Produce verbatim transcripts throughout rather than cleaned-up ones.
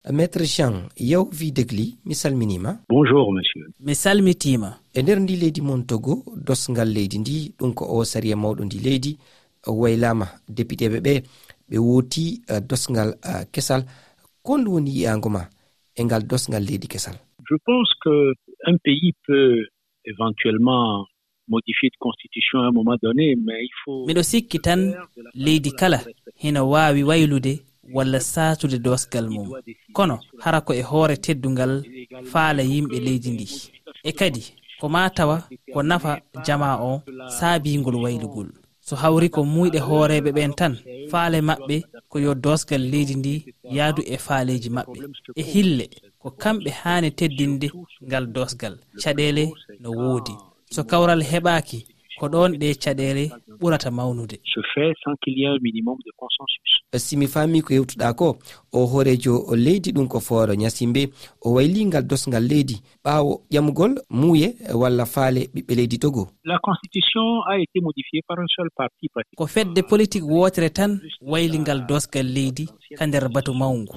Maître Jean Yawvi Degli, mi salminiima. Bonjour, monsieur. Mi salmitiima. E nder ndi leydi mon Togo, dosngal leydi ndi, ɗum ko o sariya mawɗo ndi leydi, waylaama, depiteeɓe ɓe, ɓe wooti, eh, dosngal, eh, kesal. Ko honɗum woni yiyaango ma e ngal dosngal leydi kesal? Je pense que un pays peut éventuellement modifier de constitution à un moment donné, mais il faut... Miɗo sikki tan, leydi kala hino waawi waylude walla saatude doosgal mum. Kono hara ko e hoore teddungal faale yimɓe leydi ndi. E kadi, ko maa tawa ko nafa jamaa o saabii ngol waylugol. So hawri ko muuyɗe hooreeɓe ɓen tan, faale maɓɓe ko yo doosgal leydi ndi yaadu e faaleeji maɓɓe. E hille, ko kamɓe haani teddinde ngal doosgal. Caɗeele no woodi. So kawral heɓaaki, ko ɗoon ɗe caɗeele ɓurata mawnude. Se fait sans qu'il y ait un minimum de consensus. Si mi faami ko yewtuɗaa ko, o hooreejo leydi ɗum ko Fooro Ñasimbe, o wayli ngal dosngal leydi ɓaawo ƴamugol muuye walla faale ɓiɓɓe leydi Togo. La constitution a été modifiée par un seul parti, pratiquement. Ko fedde politik wootere tan wayli ngal dosngal leydi ka nder batu mawngu.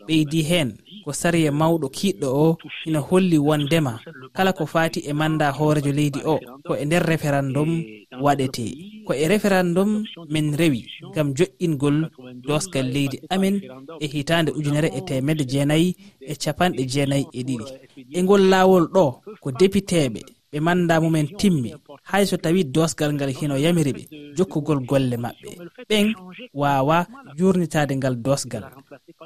Ɓeydi heen, ko sariya mawɗo kiiɗɗo o ina holli wondema kala ko faati e manndaa hooreejo leydi o, ko e nder referendum waɗetee. Ko e referendum men rewi ngam joɗɗingol doosgal leydi amen e hitaande ujunere e teemedde jeenayi e capanɗe jeenayi e ɗiɗi. E ngol laawol ɗo, ko depiteeɓe ɓe manndaa mumen timmi, hay so tawii doosgal ngal hino yamiri ɓe jokkugol golle maɓɓe. Ɓen waawaa juurnitaade ngal doosgal.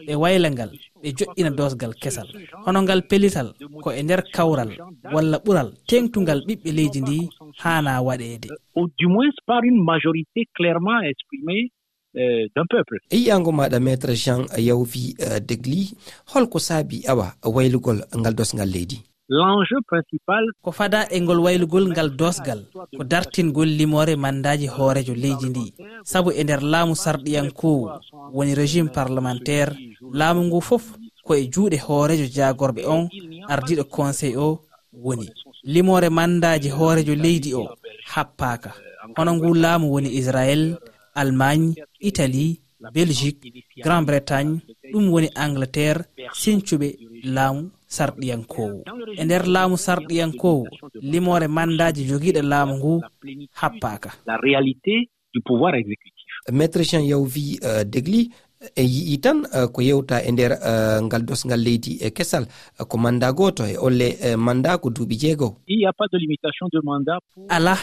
Ɓe wayla ngal, ɓe joɗɗina doosgal kesal. Hono ngal pellital ko e nder kawral walla ɓural teeŋtungal ɓiɓɓe leydi ndi haanaa waɗeede. Ou du moins par une majorité clairement exprimée, euh, d'un peuple. E yiyaango maaɗa, Maître Jean Yawvi, euh, Degli, hol ko saabii awa waylugol ngal dosngal leydi? L'enjeu principal. Ko fadaa e ngol waylugol ngal doosgal, ko dartingol limoore manndaaji hooreejo leydi ndi. Sabu e nder laamu sarɗiyankoowu, woni régime parlementaire, laamu ngu fof ko e juuɗe hooreejo jaagorɓe on, ardiiɗo conseil o woni. Limoore manndaaji hooreejo leydi o happaaka. Hono ngu laamu woni Israël, Allemagne, Italie, Belgique, Grande-Bretagne, ɗum woni Angleterre, sincuɓe laamu sarɗiyankoowu. E nder laamu sarɗiyankoowu, limoore manndaaji jogiiɗo laamu ngu happaaka. La réalité du pouvoir exécutif. Maître Jean Yawvi, euh, Degli, en yi'i tan, euh, ko yewta e nder, euh, ngal dosngal leydi e kesal, euh, ko manndaa gooto e olle, euh, manndaa ko duuɓi jeego. Il n'y a pas de limitation de mandat pour... Alaa,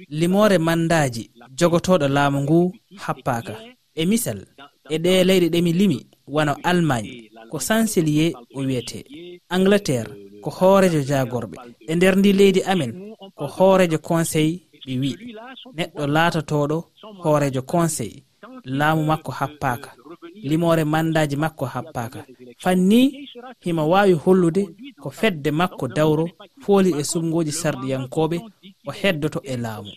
limoore manndaaji jogotooɗo laamu ngu happaaka. E misal, e ɗee leyɗe ɗe mi limi, wano Allemagne, ko chancelier o wiyetee. Angleterre, ko hooreejo jaagorɓe. E nder ndi leydi amen, ko hooreejo conseil ɓe wi'i. Neɗɗo laatotooɗo hooreejo conseil, laamu makko happaaka, limoore manndaaji makko happaaka. Fanni himo waawi hollude ko fedde makko dawro fooli e suɓngooji sarɗiyankooɓe, o heddoto e laamu.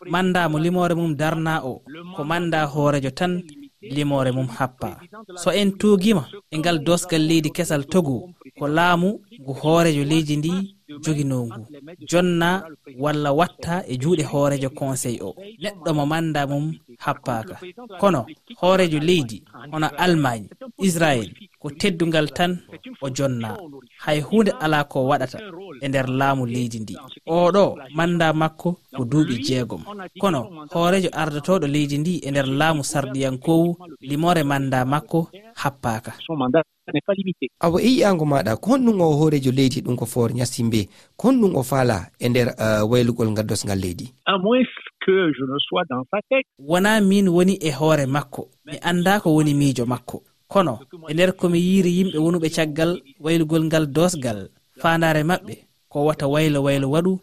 Manndaa mo limoore mum darnaa o, ko manndaa hooreejo tan limoore mum happaa. So en tuugiima e ngal doosgal leydi kesal Togo, ko laamu ngu hooreejo leydi ndi joginoo ngu, jonnaa walla wattaa e juuɗe hooreejo conseil o, neɗɗo mo manndaa mum happaaka. Kono hooreejo leydi hono Allemagne, Israël, ko teddungal tan o jonnaa. Hay huunde alaa ko waɗata e nder laamu leydi ndi. Oo ɗoo manndaa makko ko duuɓi jeegom. Kono hooreejo ardotooɗo leydi ndi e nder laamu sarɗiyankoowu, limoore manndaa makko happaaka. Son mandat n'est pas limité. Awa, e yi'aango maaɗa, ko honɗum o hooreejo leydi ɗum ko Fooro Ñasimbe, ko honɗum o faalaa e nder, eh, waylugol ngal dosngal leydi? À moins que je ne sois dans sa tête. Wonaa miin woni e hoore makko, mi anndaa ko woni miijo makko. Kono e nder ko mi yiiri yimɓe wonuɓe caggal waylugol ngal doosgal, faandaare maɓɓe ko wata waylo waylo waɗu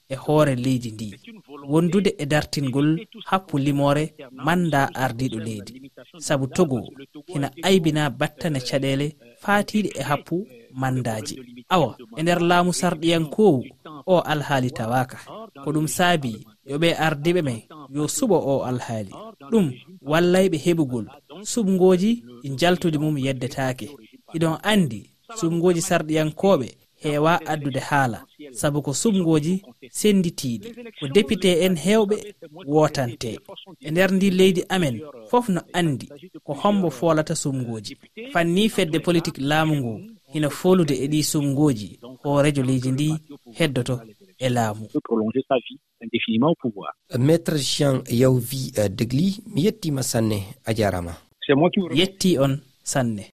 e hoore leydi ndi, wondude e dartingol happu limoore manndaa ardiiɗo leydi. Sabu Togo hina aybinaa battane caɗeele faatiiɗe e happu manndaaji. Awa, e nder laamu sarɗiyankoowu, o alhaali tawaaka. Ko ɗum saabii yo ɓe ardiiɓe men yo suɓo o alhaali. Ɗum wallay ɓe heɓugol suɓngooji ɗi njaltudi mum yeddetaake. Hiɗon anndi, suɓngooji sarɗiyankooɓe heewaa addude haala, sabu ko suɓngooji sennditiiɗi, ko depite en heewɓe wootantee. E nder ndi leydi amen, fof no anndi Ko hombo foolata sumngooji? Fanni fedde politik laamu ngu hino foolude e ɗii sumngooji, hooreejo leydi ndi heddoto e laamu. Prolonger sa vie indéfiniment au pouvoir. Maître Jean Yawvi Degli, mi yettiima sanne, a jaaraama. C'est moi qui vous remercie. Yetti on sanne.